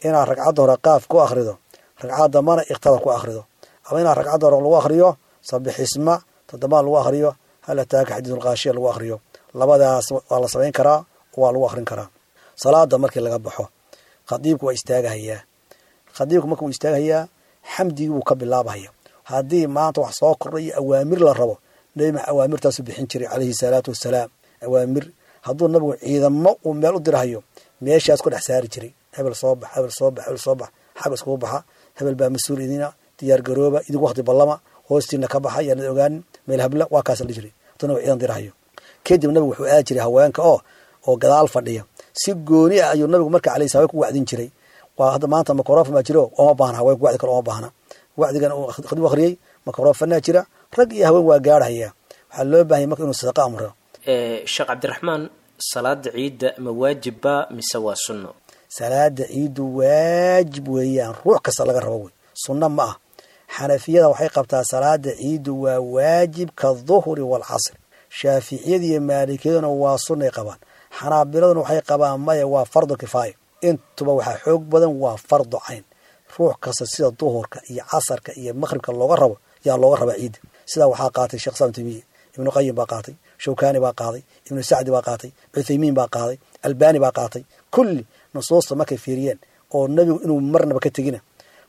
inaad ragcadda hore qaaf ku akhrido, ragcad dambana iqtada ku akhrido, ama inaad ragcadda hore lagu akhriyo sabixisma, toddobaad lagu akhriyo hal ataaka xadiisulqaashiya lagu akhriyo. Labadaas waa la samayn karaa, waa lagu akhrin karaa. Salaada markii laga baxo khadiibku waa istaagahayaa. Khadiibku marka wuu istaagahayaa, xamdigii buu ka bilaabahaya. Haddii maanta wax soo kordhay iyo awaamir la rabo, Nebi Maxamed awaamirtaasu bixin jiray calayhi salaatu wasalaam. Awaamir hadduu nabigu ciidamo uu meel u dirahayo, meeshaas ku dhex saari jiray, hebel soo bax, hebel soo bax, hebel soo bax, xag iskugu baxa, hebel baa mas-uul idina, diyaar garooba, idinku waqti ballama, hoostiina ka baxa, yaanad ogaanin meel habla, waa kaas la jiray hadduu nabigu ciidan dirahayo. Kadib nabigu wuxuu aadi jiray haweenka oo oo gadaal fadhiya, si gooni ah ayuu nabigu marka calayhi salaam ku wacdin jiray. Waa hadda maanta microphone baa jiro, ooma baahna haweenku wacdi kale, ooma baahna wacdigan uu khadiib akhriyey, microphone jira, rag iyo haween waa gaarhaya. Waxaa loo baahanya marka inuu sadaqa amro. Sheekh Cabdiraxmaan, salaada ciidda ma waajibba mise waa sunno? Salaada ciiddu waajib weeyaan, ruux kasta laga rabo wey, sunno ma ah. Xanafiyada waxay qabtaa salaada ciiddu waa waajib ka duhri waalcasr, shaaficiyada iyo maalikiyaduna waa sunnay qabaan, xanaabiladuna waxay qabaan maya waa fardu kifaaya. Intuba waxaa xoog badan waa fardu cayn, ruux kasta sida duhurka iyo casarka iyo maqhribka looga rabo yaa looga rabaa ciidda. Sidaa waxaa qaatay Sheekh Islam Taymiye, Ibnu Qayim baa qaatay, Shawkaani baa qaaday, Ibnu Sacdi baa qaatay, Cuthaymiin baa qaaday, Albaani baa qaatay. Kulli nusuusta markay fiiriyeen oo nabigu inuu marnaba ka tegina,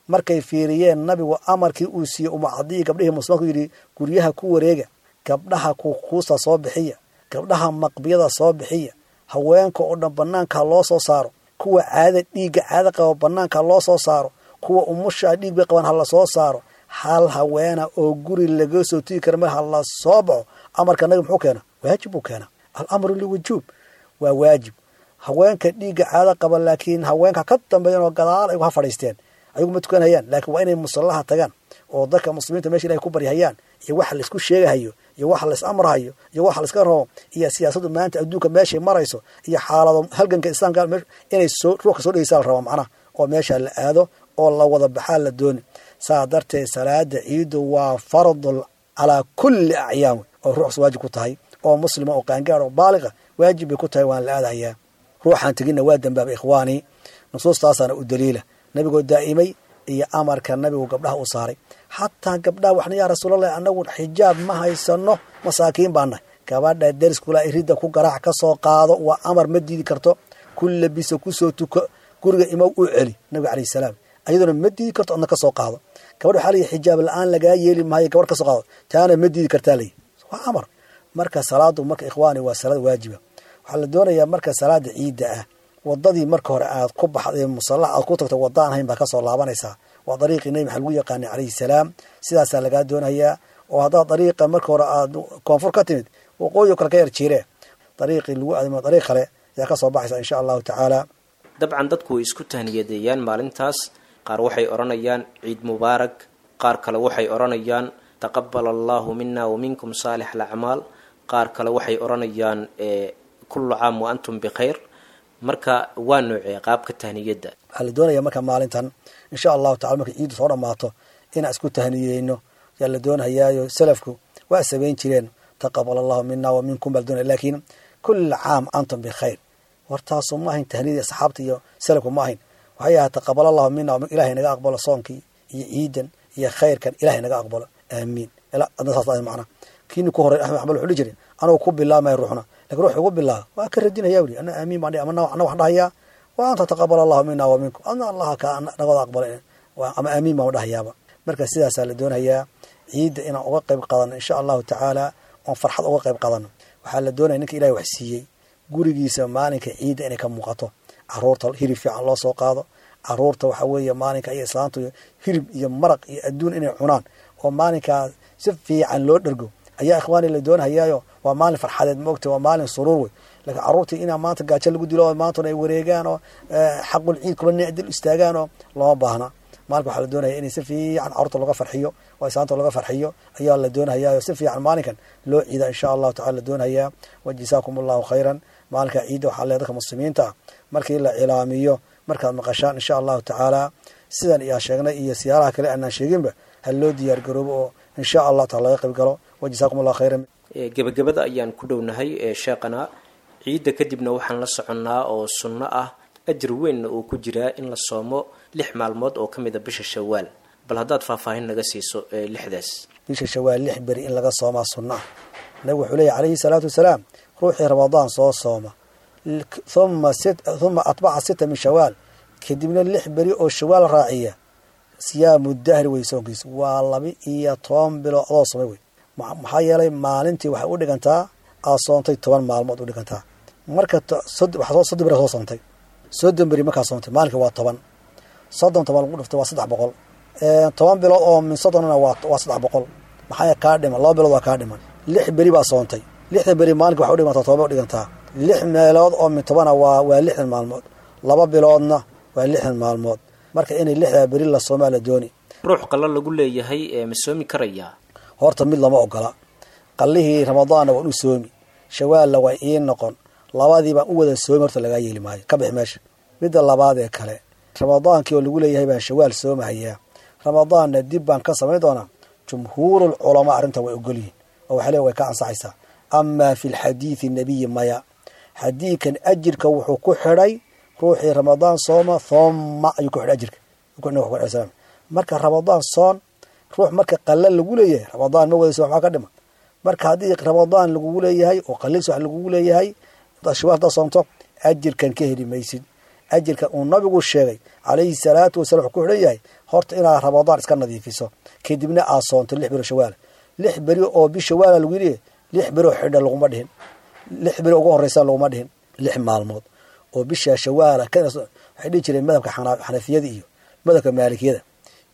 markay fiiriyeen nabigu amarkii uu siiyey Umu Cadiya gabdhihii muslimaadku yidhi guryaha ku wareega, gabdhaha kukuusta soo bixiya, gabdhaha maqbiyada soo bixiya, haweenka oo dhan banaanka loo soo saaro, kuwa caada dhiigga caada qaba banaanka loo soo saaro, kuwa umusha dhiig bay qabaan ha la soo saaro, hal haweena oo guri laga soo tigi kara mar ha la soo baxo. Amarka nabi muxuu keenaa? Waajib buu keenaa. Alamru liwujuub, waa waajib. Haweenka dhiigga caada qaba laakiin haweenka ka dambeeyan oo gadaal ayagu ha fadhiisteen, ayagu ma tukanayaan, laakiin waa inay musallaha tagaan oo dadka muslimiinta meesha ilahay ku baryahayaan iyo waxa laisku sheegahayo iyo waxa lais amrahayo iyo waxa laiska rabo iyo siyaasaddu maanta adduunka meeshay marayso iyo xaalado halganka islaamka inay soo ruuxka soo dhegeysaa la rabaa macnaha, oo meesha la aado oo la wada baxaa la dooni. Saa darteed salaada ciidu waa fardul calaa kulli acyaam, oo ruuxs waajib ku tahay, oo muslima oo qaangaar oo baaliqa waajib bay ku tahay, waan la aadahayaa. Ruuxaan teginna waa dambaaba ikhwaani, nusuustaasaana u daliila nabigoo daa'imay iyo amarka nabigu gabdhaha u saaray. Xataa gabdhaha waxna yaa rasuulallahi anagu xijaab ma haysano, masaakiin baa nahay. Gabadha deriskula iridda ku garaac ka soo qaado, waa amar, ma diidi karto. Ku labiso, kusoo tuko, guriga imow u celi nabiga calayhi salaam, ayaduna ma diidi karto, adna ka soo qaado. Gabadh waxaa layihi xijaab la-aan lagaa yeeli maayo, gabadh ka soo qaado, taana ma diidi kartaa layihi, waa amar. Marka salaadu marka ikhwaani waa salaad waajiba. Waxaa la doonayaa marka salaada ciidda ah wadadii marka hore aad ku baxday musallax aad ku tagto wadaan hayn baa kasoo laabanaysaa. Waa dariiqii nabi maxamed lagu yaqaanay calayhi salaam, sidaasaa lagaa doonayaa. Oo haddaad dariiqa marka hore aad koonfur ka timid waqooyi kale ka yar jiiree, dariiqii lagu aadamo dariiq kale ayaa kasoo baxaysa insha allahu tacaala. Dabcan dadku way isku tahniyadeeyaan maalintaas. Qaar waxay odhanayaan ciid mubaarak, qaar kale waxay odhanayaan taqabal allahu mina wa minkum saalix alacmaal, qaar kale waxay odhanayaan kullu caam wa antum bikhayr. Marka waa noocee qaabka tahniyadda? Waxaa la doonaya marka maalintan insha allahu tacala markay ciiddu soo dhammaato inaan isku tahniyeyno yaa la doonayaayo. Salafku waa samayn jireen taqabal allahu mina wa minkum baa la doonaya, laakiin kull caam antum bikhayr wartaasu ma ahayn tahniyadii asxaabta iyo salafku ma ahayn. Waxay ahayd taqabal allahu mina, ilahay naga aqbalo soonkii iyo ciidan iyo khayrkan, ilahay naga aqbalo, aamiin. Adna saas ahay macna. Kiini ku horey Axmed Xambal wuxuu dhihi jiray anuu ku bilaabmaya ruuxna, lakin ruux ugu bilaaba waa ka radinaya wuli, ana aamiin baan dhihi, ama ana waxaan dhahayaa wa anta taqabal allahu mina wa minkum, adna allaha kaa nagooda aqbala, ama aamiin baan dhahayaaba. Marka sidaasaa la doonayaa ciidda inaan uga qayb qaadano insha allahu tacaala, oon farxad uga qayb qaadano. Waxaa la doonaya ninka ilahay wax siiyey gurigiisa maalinka ciidda inay ka muuqato, caruurta hilib fiican loo soo qaado, caruurta waxa weeye maalinka iyo islaantu hilib iyo maraq iyo adduun inay cunaan oo maalinkaa si fiican loo dhergo ayaa ikhwaani la doonhayaayo. Waa maalin farxadeed maogta, waa maalin suruur wey. Laakiin carruurtii inaa maanta gaajo lagu dilo oo maantuna ay wareegaan oo xaqul ciid kula nicdil istaagaan oo looma baahna. Maalinka waxaa la doonaya inay si fiican carruurta looga farxiyo oo islaanta looga farxiyo ayaa la doonhayaayo, si fiican maalinkan loo ciida insha allahu tacala la doonhayaa. Wa jasaakum allahu khayran. Maalinka ciidda waxaa leedahay dadka muslimiinta ah markii la cilaamiyo markaad maqashaan insha allahu tacaala sidan iyaa sheegnay iyo siyaaraha kale aanaan sheeginba ha loo diyaar garoobo oo insha allah taala laga qayb galo. Wa jasaakum allahu khayran. Gebagabada ayaan ku dhownahay ee sheekhana. Ciidda kadibna waxaan la soconnaa oo sunno ah ajir weynna uu ku jiraa in la soomo lix maalmood oo ka mid a bisha Shawaal. Bal haddaad faahfaahin naga siiso lixdaas. Bisha Shawaal lix beri in laga soomaa sunno ah. Nabigu wuxuu leeyahy calayhi salaatu wasalaam ruuxii Ramadaan soo sooma uma uma atbaca sita min Shawaal, kadibna lix beri oo Shawaal raaciya, siyaamu dahri wey soonkiisa waa laba iyo toban bilood adoo soomay wey. Maxaa yeelay maalintii waxay u dhigantaa aad soontay toban maalmood u dhigantaa. Marka waxaa soddon beri soo soontay, soddon beri markaa soontay maalinka waa toban, soddon toban lagu dhuftay waa saddex boqol, toban bilood oo min soddonna waa waa saddex boqol. Maxaa kaa dhiman? Laba bilood waa kaa dhiman. Lix beri baa soontay, lixda beri maalinka waxay u dhigantaa toban bay u dhigantaa. Lix meelood oo min tobana waa waa lixdan maalmood, laba biloodna waa lixdan maalmood. Marka inay lixdaa beri la soomaa la dooni. Ruux qalla lagu leeyahay ee ma soomi karayaa? Horta mid lama ogola. Qallihii Ramadaanna waan u soomi, Shawaalna waa ii noqon, labadii baan u wada soomi, horta lagaa yeeli maayo, ka bix meesha. Midda labaad ee kale, Ramadaankii oo lagu leeyahay baan Shawaal soomahayaa, Ramadaanna dib baan ka samayn doonaa. Jumhuurul culamaa arrintan way ogolyihin oo waxay leeyihin way ka ansaxaysaa. Amaa fi lxadiidi nabiyi maya, xadiidkan ajirka wuxuu ku xidhay ruuxii Ramadaan sooma thumma ayuu ku xidhay ajirka. Marka Ramadaan soon ruux marka qalla lagu leeyahay Ramadaan ma wada soon, waxaa ka dhiman Marka haddii Ramadaan lagugu leeyahay oo qaliis wax lagugu leeyahay, shawaal haddaad soonto ajirkan ka heli maysid. Ajirka uu nabigu sheegay calayhi salaatu wasalam wuxuu ku xidhan yahay horta inaad Ramadaan iska nadiifiso, kadibna aad soonto lix beri shawaal. Lix beri oo bisha waala lagu yidhi, lix beri oo xidha laguma dhihin, lix beri ugu horreysa laguma dhihin, lix maalmood oo bisha shawaala. Waxay dhihi jireen madhabka xanafiyada iyo madhabka maalikiyada,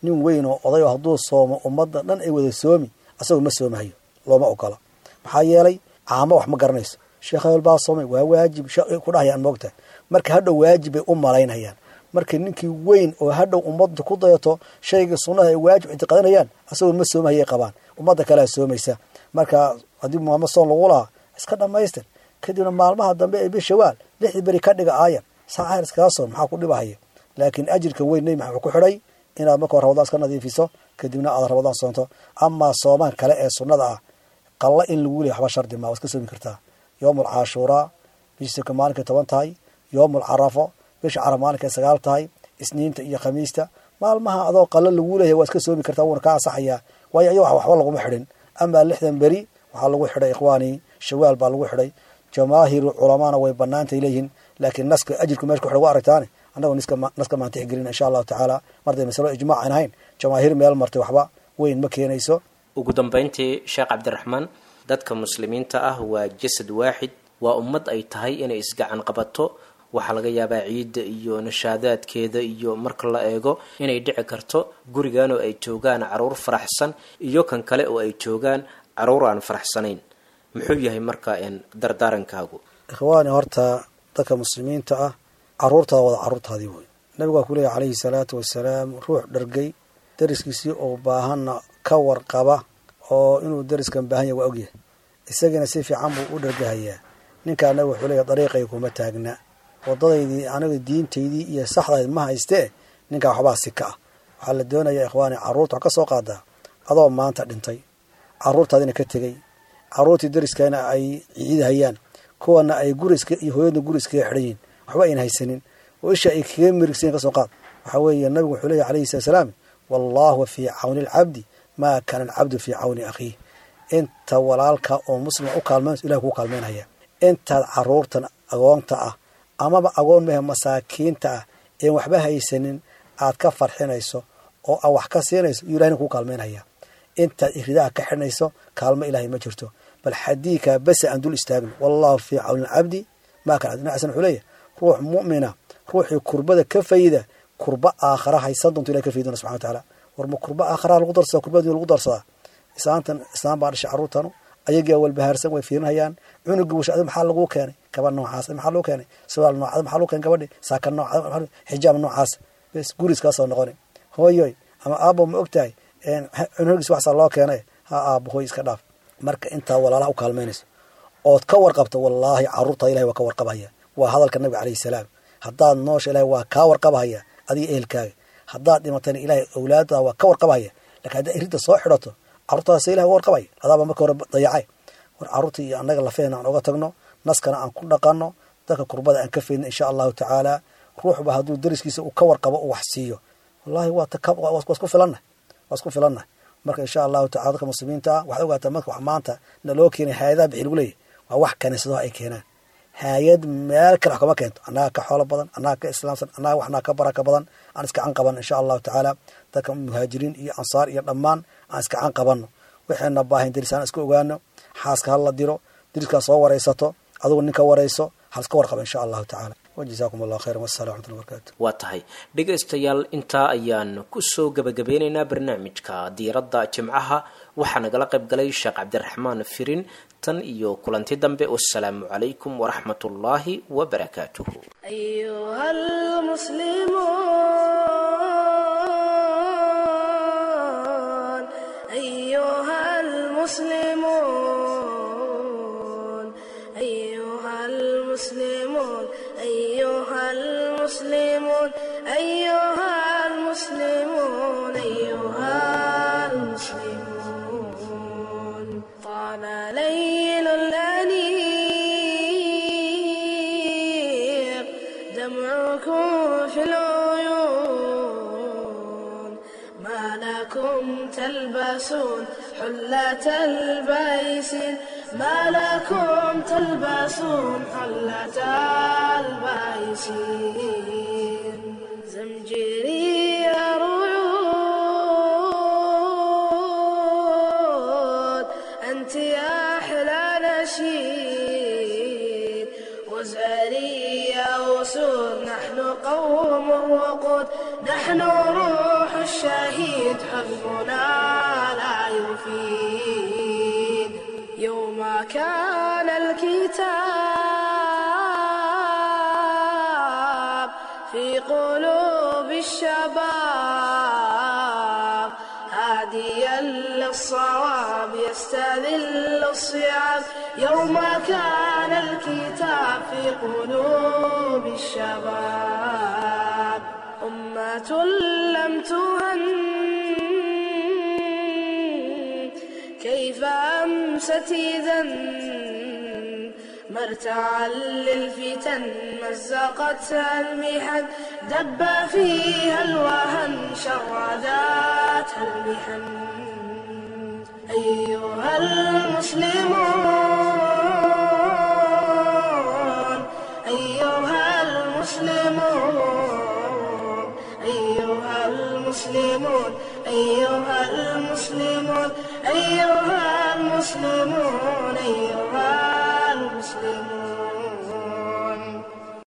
nin weyn oo oday oo hadduu soomo ummadda dhan ay wada soomi, asagoo ma soomahayo, looma ogola. Maxaa yeelay caamo wax ma garanayso, sheekh hebel baa soomay waa waajib ku dhahayaan moogta. Marka hadhow waajib bay u malaynayaan. Marka ninkii weyn oo hadhow ummadda ku dayato shayga sunnaha ay waajib ictiqaadanayaan, asagoo ma soomahayay qabaan, ummadda kalea soomaysa. Marka haddii maalmo soon lagu lahaa iska dhammaystir, kadibna maalmaha dambe ee bishawaal lixdii beri ka dhiga aayar saacaar iskaga soon, maxaa ku dhibahaya? Laakiin ajirka weyn nebi maxamed wuxuu ku xidhay inaad marka hore Ramadaan iska nadiifiso, kadibna aad Ramadaan soonto. Amaa soomaan kale ee sunnada ah qalla in lagu leeyahay waxba shardi maa, waa iska soomi kartaa. Yoomul caashuuraa bisha maalinkay toban tahay, yoomul carafo bisha caraf maalinkay sagaal tahay, isniinta iyo khamiista, maalmaha adoo qalla lagu leeyahay waa iska soomi kartaa, wuuna ka ansaxayaa, waayo ayago waxba laguma xidhin. Amaa lixdan beri waxaa lagu xidhay ikhwaanii shawaal baa lagu xidhay. Jamaahiru culamaana way banaantay leeyihiin, laakiin naska ajirku meesha ku xidhay waa aragtaane, annagu niska naska maan tixgelin insha allahu tacaala. Marday masalo ijmaac aan ahayn, jamaahiir meel martay waxba weyn ma keenayso. Ugu dambeyntii Sheekh Cabdiraxmaan, dadka muslimiinta ah waa jasad waaxid, waa ummad ay tahay inay isgacan qabato. Waxaa laga yaabaa ciidda iyo nashaadaadkeeda iyo marka la eego inay dhici karto gurigan oo ay joogaan caruur faraxsan iyo kan kale oo ay joogaan caruur aan faraxsanayn. Muxuu yahay marka dardaarankaagu? Ikhwaani, horta dadka muslimiinta ah caruurtaada wada caruurtaadii wey. Nabigu waa ku leeyahy calayhi salaatu wasalaam, ruux dhargay dariskiisii oo baahanna ka warqaba, oo inuu dariskan baahan yahay waa ogyahay, isagiina si fiican buu u dhargahayaa. Ninkaa nabigu wuxuu leeyahy dariiqay kuma taagna, wadadaydii aniga diintaydii iyo saxdayd ma haystee, ninkaa waxbaa si ka ah. Waxaa la doonayaa ikhwaani, carruurta wax ka soo qaadaa adoo maanta dhintay, carruurtaadina ka tegey, carruurtii dariskana ay ciidahayaan, kuwana ay guriska iyo hooyadna guri iskaga xidhan yihin, waxba ayna haysanin, oo isha ay kaga mirigsayin ka soo qaad. Waxaa weeye nabigu wuxuu leeyahy calayhi salatu salaam, wallaahu fii cawni alcabdi maa kaana alcabdu fii cawni akhiih. Inta walaalka oo muslima u kaalmaynayso ilahi kuu kaalmaynaya. Intaad carruurtan agoonta ah amaba agoon mehe masaakiinta ah een waxba haysanin aad ka farxinayso oo aad wax ka siinayso, yuu ilahina kuu kaalmaynaya. Intaad iridaha ka xidhnayso kaalmo ilaahay ma jirto. Bal xadiidkaa bese aan dul istaagno, wallaahu fii cawni alcabdi maa kana cabdi. Xasan wuxuu leeyahay ruux mu'mina ruuxii kurbada ka fayda kurba aakhara haysan doonto ilahay ka faydi doona subxana wa tacaala. War ma kurba aakhara lagu darsadaa, kurba adunya lagu darsadaa? Islaantan islaan baa dhashay carruurtanu, ayagaa walbahaarsan way fiirinayaan cunugii washa, adi maxaa laguu keenay gabadh noocaas, maxaa lagu keenay surwaal noocaas, maxaa lagu keenay gabadhi saaka noocaas, xijaab noocaas, bes guriis kaa soo noqoni. Hooyoy ama aabbo, ma ogtahay cunugiis waxsaa loo keenay? Ha aabbo, hooy iska dhaaf. Marka intaa walaalaha u kaalmaynayso ood ka warqabto, wallaahi carruurtaada ilahay waa ka warqabahaya. Waa hadalka nabiga calayhi salaam. Haddaad noosha ilahay waa kaa warqabahaya adiga ehelkaaga, haddaad dhimatana ilahay awlaadada waa ka warqabahaya. Lakin haddaad irinta soo xidhato carruurtaada ilahay waa warqabaya, adaaba marka hore dayacay. War carruurta iyo annaga lafeena aan oga tagno, naskana aan ku dhaqanno, dadka kurbada aan ka faydno insha allahu tacaala. Ruuxba hadduu dariskiisa uu ka warqabo uu wax siiyo, wallahi waa waa isku filannahay, waa isku filannahay. Marka insha allahu tacala dadka muslimiinta ah waxaad ogaataa, marka wax maanta naloo keenay hay-adaha bixi lagu leeyahy waa wax kaniisadaha ay keenaan, hay-ad meel kale wax kama keento. Annaga ka xoolo badan, annaga ka islaamsan, annaga waxnaa ka baraka badan, aan iska can qabanno insha allahu tacaala. Dadka muhaajiriin iyo ansaar iyo dhammaan aan iska can qabanno, waxayna baahin deris aan iska ogaano. Xaaska ha la diro, deriskaa soo waraysato, adigu ninka warayso, ha iska warqaba insha allahu tacaala. Wajazaakum allah khayran, wassalam raxmatullahi wabarakatu. Waa tahay dhegaystayaal, intaa ayaan kusoo gabagabeynaynaa barnaamijka diiradda jimcaha. Waxaa nagala qayb galay Sheekh Cabdiraxmaan Firin. Tan iyo kulanti dambe, wassalaamu calaykum waraxmatullaahi wabarakaatuhu. أيها المسلمون أيها المسلمون أيها المسلمون أيها المسلمون أيها المسلمون أيها المسلمون. طال ليل الأنيق دمعكم في العيون، ما لكم تلبسون حلة البيسين، ما لكم تلبسون حلة البيسين. زمجري رعود، أنت يا أحلى نشيد، وزهري يا أسود، نحن قوم وقود، نحن روح الشهيد، حزبنا لا يفيد. يوم كان الكتاب في قلوب الشباب، هاديا للصواب يستذل الصعاب، يوم كان الكتاب في قلوب الشباب. أمة لم تهن كيف أمست إذا، مرتعا للفتن مزقتها المحن، دب فيها الوهن شرداتها المحن. أيها المسلمون، أيها المسلمون، أيها المسلمون، أيها المسلمون، أيها المسلمون، أيها